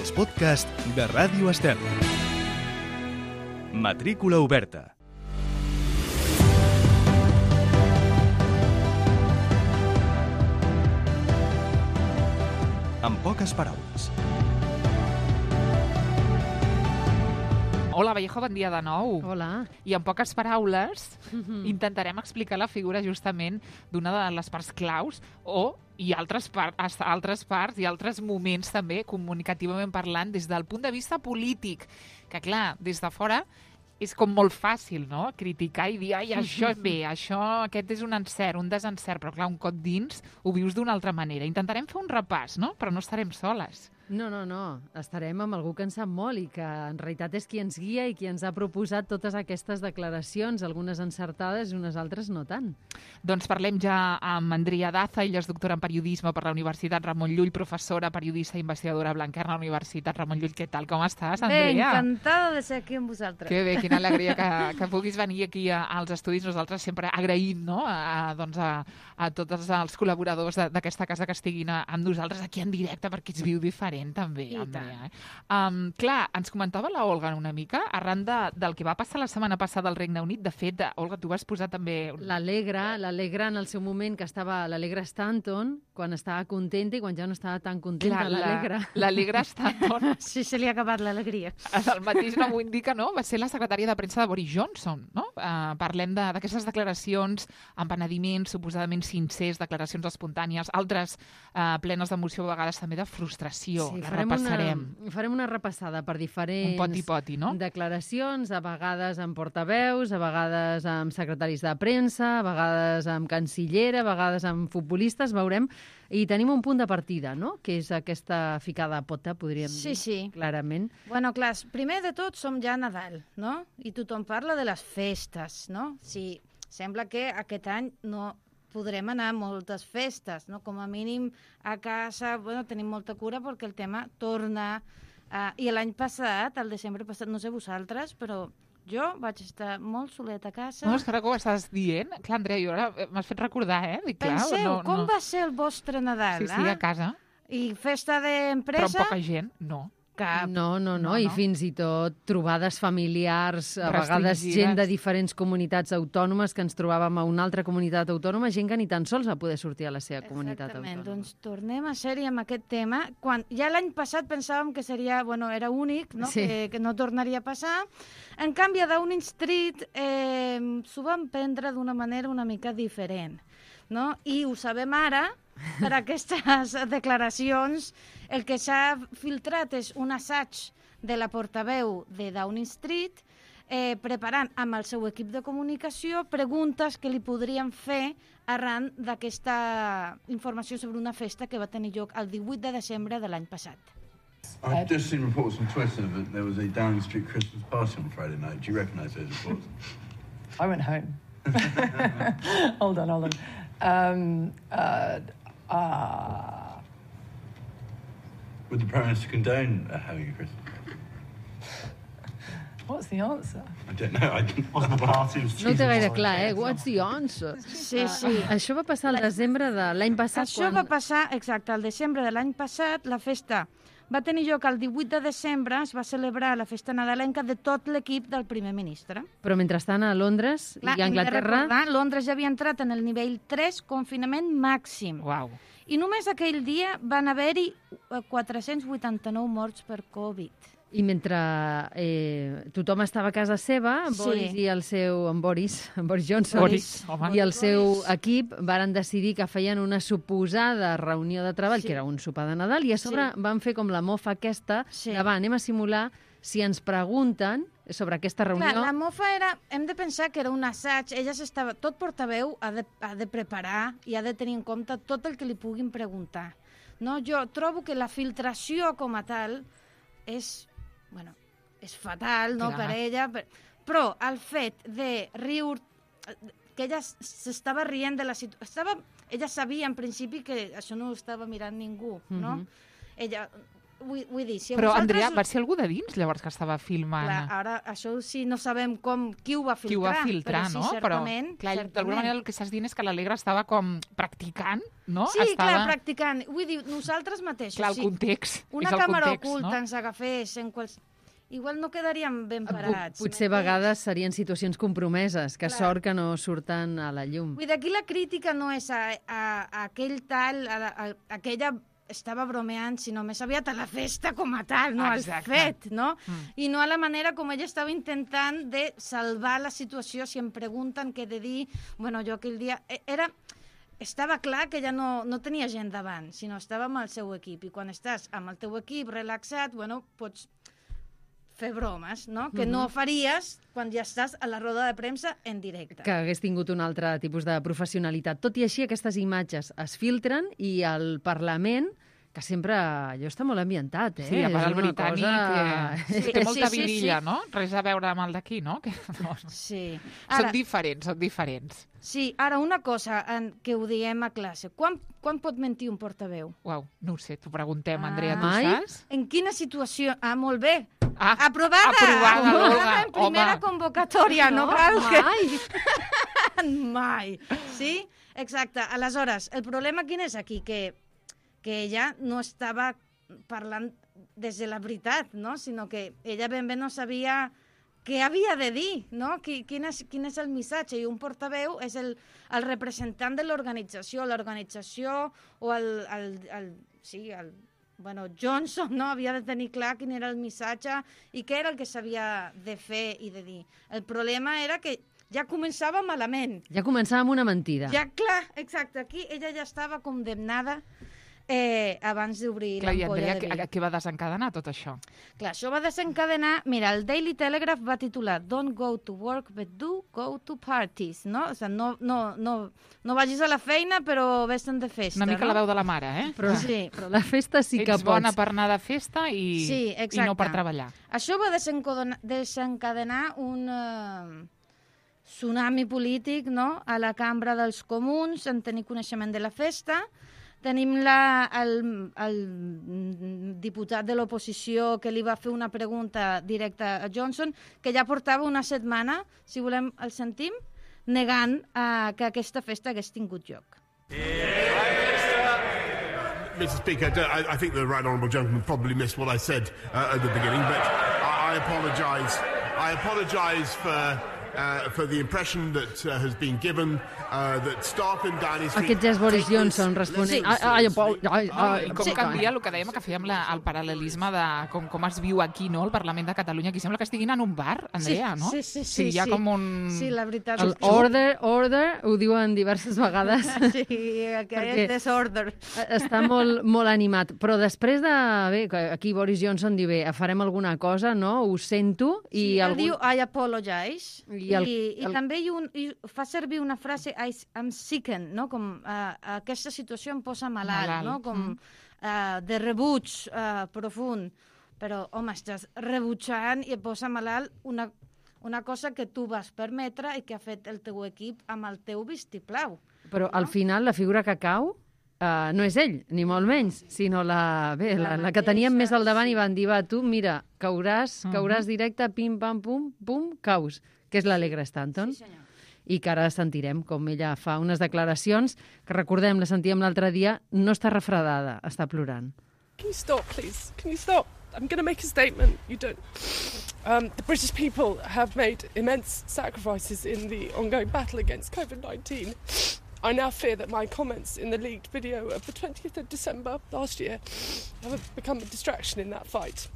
els podcasts de Ràdio Estel. Matrícula oberta. En poques paraules. Hola, Vallejo, bon dia de nou. Hola. I en poques paraules intentarem explicar la figura justament d'una de les parts claus i altres parts i altres moments també comunicativament parlant des del punt de vista polític, que clar, des de fora és com molt fàcil, no?, criticar i dir, ai, això és bé, aquest és un encert, un desencert, però clar, un cop dins ho vius d'una altra manera. Intentarem fer un repàs, no?, però no estarem soles. No, estarem amb algú que en sap molt i que en realitat és qui ens guia i qui ens ha proposat totes aquestes declaracions, algunes encertades i unes altres no tant. Doncs parlem ja amb Andrea Daza, ella és doctora en periodisme per la Universitat Ramon Llull, professora, periodista i investigadora a Blanquerna, Universitat Ramon Llull. Què tal, com estàs, Andrea? Bé, encantada de ser aquí amb vosaltres. Que bé, quina alegria que puguis venir aquí als estudis. Nosaltres sempre agraïm, no?, a tots els col·laboradors d'aquesta casa que estiguin amb nosaltres aquí en directe, perquè es viu diferent també, Andrea. Clar, ens comentava la Olga una mica, arran del que va passar la setmana passada al Regne Unit. De fet, Olga, tu vas posar també... L'Alegra en el seu moment, que estava l'Alegra Stanton, quan estava contenta i quan ja no estava tan contenta, l'Alegra. L'Alegra Stanton. Sí, se li ha acabat l'alegria. El mateix no ho indica, no? Va ser la secretària de premsa de Boris Johnson, no? Parlem d'aquestes declaracions amb penediments suposadament sincers, declaracions espontànies, altres plenes d'emoció, a vegades també de frustració. Sí, la repassarem. Farem una repassada per diferents un poti-poti, no?, declaracions, a vegades amb portaveus, a vegades amb secretaris de premsa, a vegades amb cancillera, a vegades amb futbolistes, veurem. I tenim un punt de partida, no?, que és aquesta ficada a pota, podríem dir, clarament. Bueno, clar, primer de tot som ja a Nadal, no?, i tothom parla de les festes, no? Sí, sembla que aquest any no podrem anar a moltes festes, no? Com a mínim a casa, bueno, tenim molta cura perquè el tema torna... I l'any passat, el desembre passat, no sé vosaltres, però jo vaig estar molt soleta a casa. No, és que ara que ho estàs dient, clar, Andrea, jo ara m'has fet recordar, Dic, clar, penseu, com va ser el vostre Nadal, Sí, a casa. I festa d'empresa? Però amb poca gent, no. Cap. No, i fins i tot trobades familiars, a vegades gent de diferents comunitats autònomes que ens trobàvem a una altra comunitat autònoma, gent que ni tan sols va poder sortir a la seva comunitat autònoma. Exactament, doncs tornem a ser-hi amb aquest tema. Quan ja l'any passat pensàvem que seria, era únic, no? Sí. Que no tornaria a passar. En canvi, a Downing Street s'ho van prendre d'una manera una mica diferent, no? I ho sabem ara, per aquestes declaracions. El que s'ha filtrat és un assaig de la portaveu de Downing Street preparant amb el seu equip de comunicació preguntes que li podrien fer arran d'aquesta informació sobre una festa que va tenir lloc el 18 de desembre de l'any passat. I've just seen reports on Twitter that there was a Downing Street Christmas party on Friday night. Do you recognise those reports? I went home. Hold on. Would the Prime Minister condone having a Christmas party? What's the answer? I don't know. Wasn't a party. No ho té gaire clar, What's the answer? Sí. Això va passar al desembre de l'any passat. Això va passar, exacte, al desembre de l'any passat. La festa va tenir lloc el 18 de desembre, es va celebrar la festa nadalenca de tot l'equip del primer ministre. Però mentrestant a Londres i a Anglaterra... Londres ja havia entrat en el nivell 3, confinament màxim. Uau. I només aquell dia van haver-hi 489 morts per Covid. I mentre tothom estava a casa seva, Boris Johnson i el seu equip varen decidir que feien una suposada reunió de treball, que era un sopar de Nadal, i a sobre van fer com la mofa aquesta, de anem a simular si ens pregunten sobre aquesta reunió. Clar, la mofa era... Hem de pensar que era un assaig. Tot portaveu ha de preparar i ha de tenir en compte tot el que li puguin preguntar. No? Jo trobo que la filtració com a tal és fatal, no?, per ella, però el fet de riure, que ella s'estava rient de la situació, ella sabia en principi que això no ho estava mirant ningú, no? Ella vull dir, si Però, vosaltres... Andrea, va ser algú de dins, llavors, que estava filmant? Clar, ara, això sí, no sabem qui ho va filtrar. Qui ho va filtrar, però no? Sí, certament, però, clar, d'alguna manera el que estàs dient és que l'Alegre estava com practicant, no? Sí, estava... clar, practicant. Vull dir, nosaltres mateixos, clar, el context. Una càmera oculta, no? Ens agafés en igual no quedaríem ben parats. Potser a vegades serien situacions compromeses, que sort que no surten a la llum. Vull dir, aquí la crítica no és a aquell tal, a aquella estava bromeant, sinó més aviat a la festa com a tal, no al fet, no? I no a la manera com ella estava intentant de salvar la situació. Si em pregunten què he de dir, bueno, jo aquell dia... Estava clar que ella no tenia gent davant, sinó estava amb el seu equip. I quan estàs amb el teu equip relaxat, bueno, pots fer bromes, no? Que no faries quan ja estàs a la roda de premsa en directe. Que hagués tingut un altre tipus de professionalitat. Tot i així, aquestes imatges es filtren i el Parlament, que sempre allò està molt ambientat, Sí, a part el britànic, que té molta vidilla, no? Res a veure amb el d'aquí, no? Sí. Són diferents. Sí, ara una cosa que ho diem a classe. Quan pot mentir un portaveu? Uau, no ho sé, t'ho preguntem, Andrea, tu saps? En quina situació? Molt bé. Aprovada en primera convocatòria, no cal que... Mai. Sí? Exacte. Aleshores, el problema quin és aquí? Que ella no estava parlant des de la veritat, no? Sinó que ella ben bé no sabia què havia de dir, no? Quin és el missatge? I un portaveu és el representant de l'organització. L'organització o Johnson, no? Havia de tenir clar quin era el missatge i què era el que s'havia de fer i de dir. El problema era que ja començava malament. Ja començava amb una mentida. Ja, clar, exacte. Aquí ella ja estava condemnada abans d'obrir l'ampolla de vi. I Andrea, què va desencadenar tot això? Clar, això va desencadenar... Mira, el Daily Telegraph va titular Don't go to work, but do go to parties, no? O sigui, no vagis a la feina, però vés-te'n de festa, Una mica no? la veu de la mare, eh? Però la festa sí que pots. Ets bona per anar de festa i no per treballar. Això va desencadenar un tsunami polític, no?, a la Cambra dels Comuns, en tenir coneixement de la festa. Tenim el diputat de l'oposició que li va fer una pregunta directa a Johnson, que ja portava una setmana, si volem el sentim, negant que aquesta festa hagués tingut lloc. Mr. Speaker, I think the right honourable gentleman probably missed what I said at the beginning, but I apologise. I apologise for the impression that has been given that staff in Downing Street... Aquest ja és Boris Johnson responent. Com canvia el que dèiem, que fèiem el paral·lelisme de com es viu aquí, no?, al Parlament de Catalunya. Aquí sembla que estiguin en un bar, Andrea, no? Sí, hi ha com un... Sí, la veritat. El order, ho diuen diverses vegades. Sí, aquest desorder. Està molt animat. Però després de... Bé, aquí Boris Johnson diu, bé, farem alguna cosa, no? Ho sento. Sí, ell diu, I apologize. I també fa servir una frase, I'm sickened, no? Com aquesta situació em posa malalt, no? Com de rebuig profund. Però, home, estàs rebutjant i et posa malalt una cosa que tu vas permetre i que ha fet el teu equip amb el teu vistiplau. Però al final la figura que cau no és ell, ni molt menys, sinó la que teníem més al davant i van dir, va, tu, mira, cauràs directe, pim, pam, pum, pum, caus, que és l'Alegre Stanton. Sí, senyor. I que ara sentirem com ella fa unes declaracions que, recordem, la sentíem l'altre dia, no està refredada, està plorant. Can you stop, please? Can you stop? I'm going to make a statement. You don't. The British people have made immense sacrifices in the ongoing battle against COVID-19. I now fear that my comments in the leaked video of the 20th of December last year have become a distraction in that fight.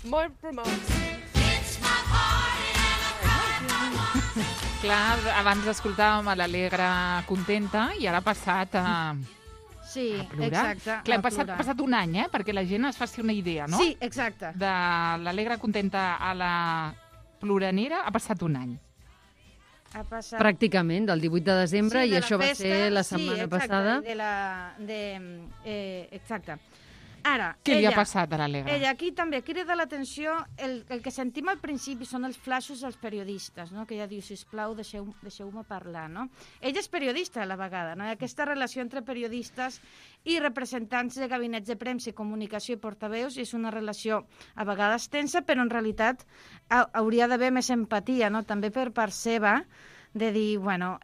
My remarks... Clar, abans escoltàvem a l'Alegre contenta i ara ha passat a... Sí, plorar. exacte. Clar, ha passat un any, perquè la gent es faci una idea, no? Sí, exacte. De l'Alegre contenta a la ploranera ha passat un any. Ha passat... Pràcticament, del 18 de desembre, i això va ser la setmana passada. Exacte. Ara, Què li ha passat a l'Alegre? Ella aquí també crida l'atenció, el que sentim al principi són els flaixos dels periodistes, no? Que ella diu, sisplau, deixeu-me parlar, no? Ella és periodista a la vegada, no? I aquesta relació entre periodistes i representants de gabinets de premsa i comunicació i portaveus és una relació a vegades tensa, però en realitat hauria d'haver més empatia, no? També per part seva, de dir, bueno,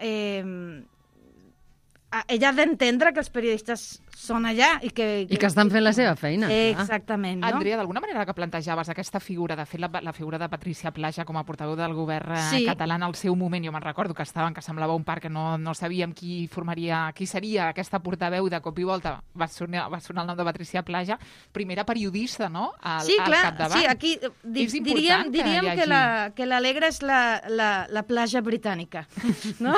ella ha d'entendre que els periodistes són allà i que estan fent la seva feina. Exactament, no? Andrea, d'alguna manera que plantejaves aquesta figura, de fet, la figura de Patricia Plaja com a portaveu del govern català en el seu moment, jo me'n recordo que semblava un parc que no sabíem qui seria aquesta portaveu, de cop i volta va sonar el nom de Patricia Plaja, primera periodista, no?, al capdavant. Sí, aquí diríem que l'Alegre és la Plaja britànica, no?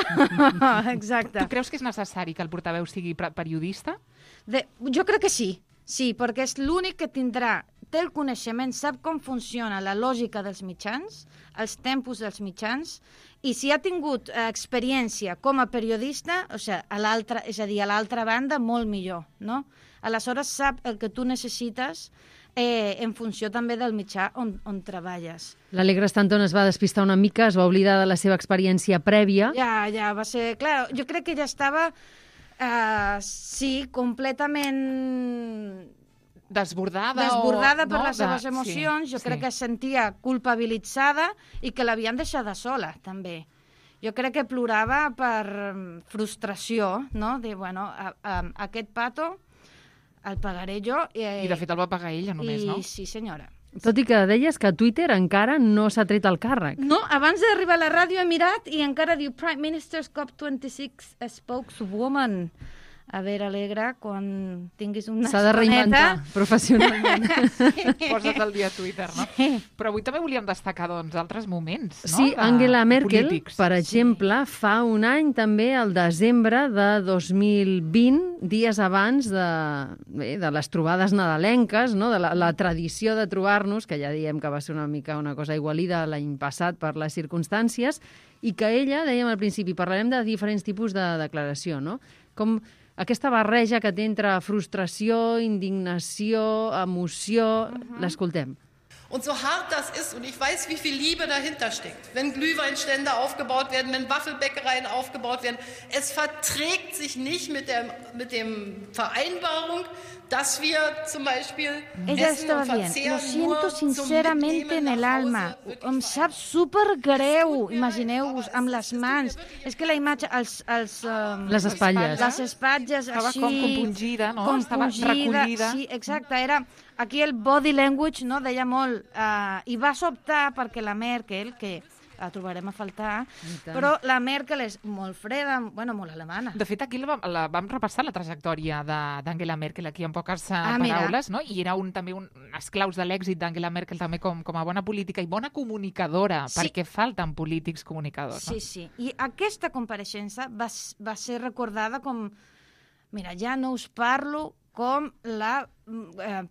Exacte. Tu creus que és necessari que el portaveu sigui periodista? Jo crec que sí, perquè és l'únic que té el coneixement, sap com funciona la lògica dels mitjans, els tempos dels mitjans, i si ha tingut experiència com a periodista, és a dir, a l'altra banda, molt millor, no? Aleshores sap el que tu necessites en funció també del mitjà on treballes. L'Alegre Stanton es va despistar una mica, es va oblidar de la seva experiència prèvia. Ja, va ser... Clar, jo crec que ja estava... sí, completament desbordada per les seves emocions. Jo crec que es sentia culpabilitzada i que l'havien deixada sola, també. Jo crec que plorava per frustració, no? De, bueno, aquest pato el pagaré jo. I de fet el va pagar ella només, no? Sí, senyora. Tot i que deies que Twitter encara no s'ha tret el càrrec. No, abans d'arribar a la ràdio he mirat i encara diu Prime Minister's COP26 spokeswoman. A veure, Alegre, quan tinguis una estoneta... S'ha de reinventar professionalment. Posa't al dia a Twitter, no? Sí. Però avui també volíem destacar, doncs, altres moments, no? Sí, Angela Merkel, per exemple, fa un any, també, al desembre de 2020, dies abans de les trobades nadalenques, no? De la tradició de trobar-nos, que ja diem que va ser una mica una cosa igualida l'any passat per les circumstàncies, i que ella, dèiem al principi, parlarem de diferents tipus de declaració, no? Com aquesta barreja que té entre frustració, indignació, emoció... L'escoltem. Und so hart das ist, und ich weiß, wie viel Liebe dahinter steckt, wenn Glühweinstände aufgebaut werden, wenn Waffelbäckereien aufgebaut werden, es verträgt sich nicht mit der Vereinbarung, dass wir zum Beispiel essen und verzehren. Lo siento sinceramente en el alma. Em sap supergreu, imagineu-vos, amb les mans. És que la imatge, les espatlles. Les espatlles, estava així... com compungida, no? Estava recollida. Sí, exacte. Era aquí el body language, no? Deia molt. I va sobtar perquè la Merkel, que la trobarem a faltar, però la Merkel és molt freda, bueno, molt alemana. De fet, aquí vam repassar la trajectòria d'Angela Merkel, aquí en poques paraules, no? I era també unes claus de l'èxit d'Angela Merkel també com a bona política i bona comunicadora, perquè falten polítics comunicadors. Sí, sí. I aquesta compareixença va ser recordada com... Mira, ja no us parlo com la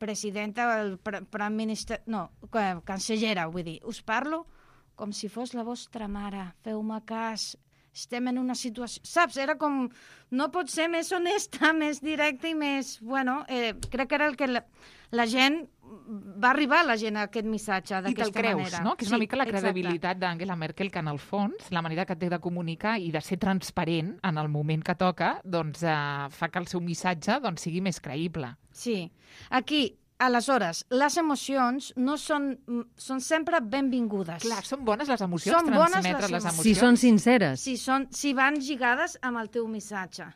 presidenta, el prime minister... No, cancellera, vull dir. Us parlo com si fos la vostra mare. Feu-me cas. Estem en una situació... Saps? Era com... No pot ser més honesta, més directa i més... Bueno, crec que era el que la gent... Va arribar a la gent aquest missatge d'aquesta manera. I te'l creus, no? Que és una mica la credibilitat d'Angela Merkel, que en el fons, la manera que té de comunicar i de ser transparent en el moment que toca, doncs fa que el seu missatge sigui més creïble. Sí. Aquí, aleshores, les emocions no són sempre benvingudes. Clar, són bones les emocions, transmetre les emocions. Si són sinceres. Si van lligades amb el teu missatge.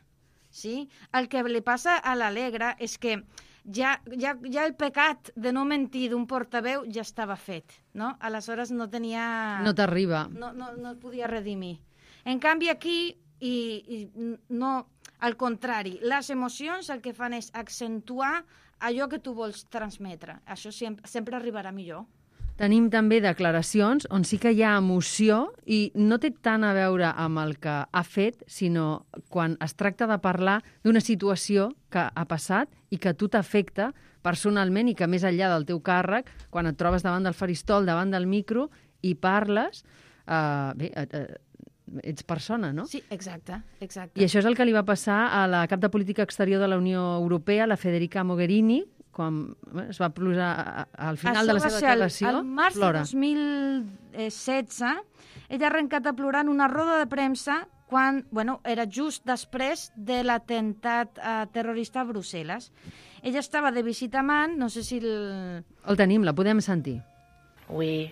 Sí? El que li passa a l'Alegre és que ja el pecat de no mentir d'un portaveu ja estava fet, no? Aleshores no tenia... No t'arriba. No es podia redimir. En canvi aquí, no, al contrari, les emocions el que fan és accentuar allò que tu vols transmetre. Això sempre arribarà millor. Tenim també declaracions on sí que hi ha emoció i no té tant a veure amb el que ha fet, sinó quan es tracta de parlar d'una situació que ha passat i que a tu t'afecta personalment i que més enllà del teu càrrec, quan et trobes davant del faristol, davant del micro i parles, ets persona, no? Sí, exacte. I això és el que li va passar a la cap de política exterior de la Unió Europea, la Federica Mogherini, quan es va plorar al final de la seva declaració, al març de 2016, ella ha arrencat a plorar en una roda de premsa quan, era just després de l'atemptat terrorista a Brussel·les. Ella estava de visita a Man, no sé si... El tenim, la podem sentir. We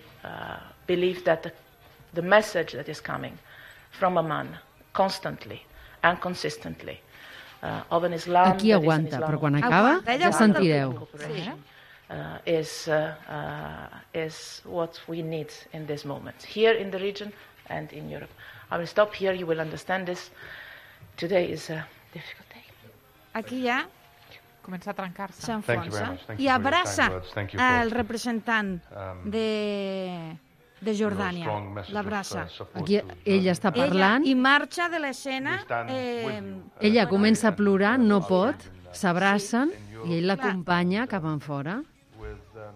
believe that the message that is coming from Amman constantly and consistently of an Islam... Aquí aguanta, però quan acaba ja sentireu. Is what we need in this moment, here in the region and in Europe. I will stop here, you will understand this. Today is a difficult day. Aquí ja comença a trencar-se. S'enfonsa i abraça el representant de Jordània. L'abraça. Aquí ella està parlant. I marxa de l'escena. Ella comença a plorar, no pot, s'abracen i ell l'acompanya cap enfora.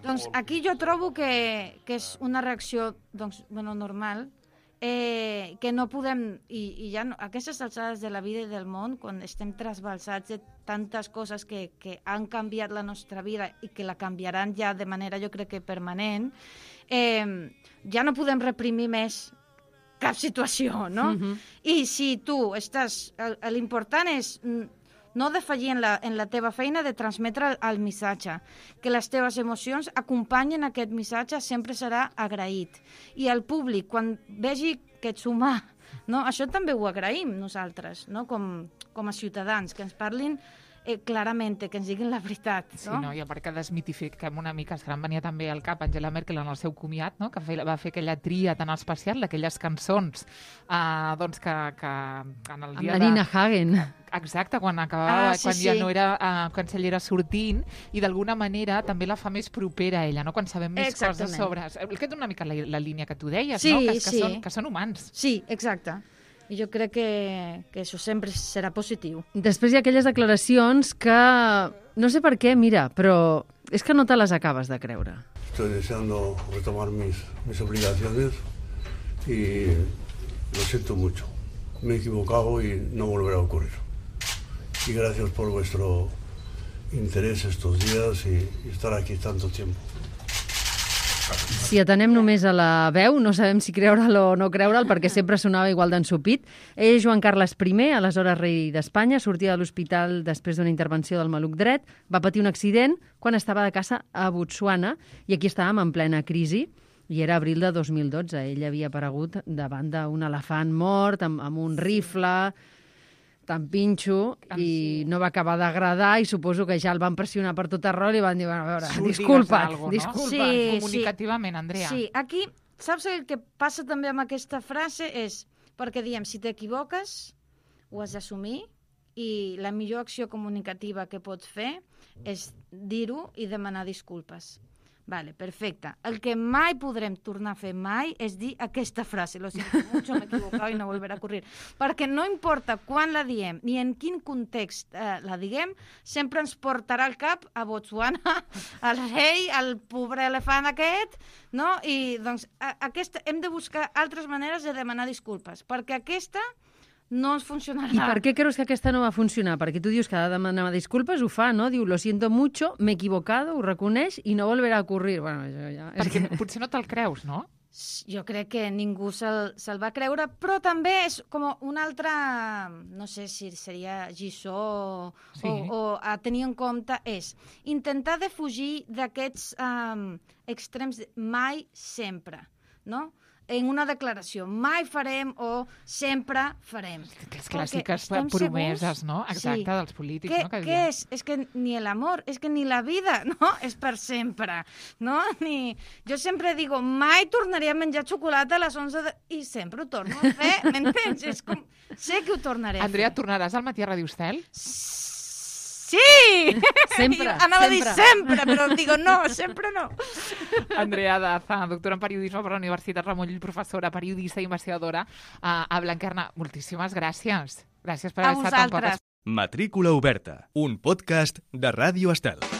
Doncs aquí jo trobo que és una reacció normal, que no podem, i ja a aquestes alçades de la vida i del món, quan estem trasbalsats de tantes coses que han canviat la nostra vida i que la canviaran ja de manera, jo crec que permanent, ja no podem reprimir més cap situació, no? I si tu estàs... L'important és no defallir en la teva feina de transmetre el missatge, que les teves emocions acompanyen aquest missatge, sempre serà agraït. I el públic, quan vegi que ets humà, no? Això també ho agraïm nosaltres, no? Com a ciutadans, que ens parlin clarament, que ens diguin la veritat. No? Sí, no? I a part que desmitifiquem una mica, que em venia també al cap Angela Merkel en el seu comiat, no? Que va fer aquella tria tan especial d'aquelles cançons que en el dia amb la Nina Hagen. Exacte, quan acabava, quan ja no era cancellera sortint, i d'alguna manera també la fa més propera a ella, no? Quan sabem més coses sobre... Aquest és una mica la línia que tu deies, no? Que són humans. Sí, exacte. I jo crec que això sempre serà positiu. Després hi ha aquelles declaracions que, no sé per què, mira, però és que no te les acabes de creure. Estoy deseando retomar mis obligaciones y lo siento mucho. Me he equivocado y no volverá a ocurrir. Y gracias por vuestro interés estos días y estar aquí tanto tiempo. Si atenem només a la veu, no sabem si creure'l o no creure'l, perquè sempre sonava igual d'ensupit. Ell és Joan Carles I, aleshores rei d'Espanya, sortia de l'hospital després d'una intervenció del maluc dret, va patir un accident quan estava de caça a Botswana, i aquí estàvem en plena crisi, i era abril de 2012. Ell havia aparegut davant d'un elefant mort, amb un rifle... tan pinxo, i no va acabar d'agradar, i suposo que ja el van pressionar per tot arreu i van dir, a veure, disculpa't. Comunicativament, Andrea. Sí, aquí, saps el que passa també amb aquesta frase? És, perquè diem, si t'equivoques, ho has d'assumir, i la millor acció comunicativa que pots fer és dir-ho i demanar disculpes. Vale, perfecte. El que mai podrem tornar a fer mai és dir aquesta frase, lo siento mucho, me he equivocado y no volverá a ocurrir. Perquè no importa quan la diem ni en quin context la diguem, sempre ens portarà al cap a Botswana, al rei, al pobre elefant aquest, no? I doncs hem de buscar altres maneres de demanar disculpes, perquè aquesta no ens funcionarà. I per què creus que aquesta no va funcionar? Perquè tu dius que ha de demanar disculpes, ho fa, no? Diu, lo siento mucho, me he equivocado, ho reconeix i no volverà a ocurrir. Bueno, això ja... Perquè potser no te'l creus, no? Jo crec que ningú se'l va creure, però també és com una altra, no sé si seria lliçó o a tenir en compte, és intentar defugir d'aquests extrems mai sempre, no? En una declaració, mai farem o sempre farem. Les clàssiques promeses, no? Exacte, dels polítics. Què és? És que ni l'amor, és que ni la vida, no? És per sempre, no? Jo sempre digo, mai tornaré a menjar xocolata a les 11 i sempre ho torno a fer, m'entens? És com, sé que ho tornaré a fer. Andrea, tornaràs al Matí a Ràdio Estel? Sí! Sempre. Anava a dir sempre, però digo no, sempre no. Andrea Daza, doctora en periodisme per la Universitat Ramon Llull, professora, periodista i investigadora a Blanquerna. Moltíssimes gràcies. Gràcies per haver estat amb nosaltres. Matrícula oberta, un podcast de Ràdio Estel.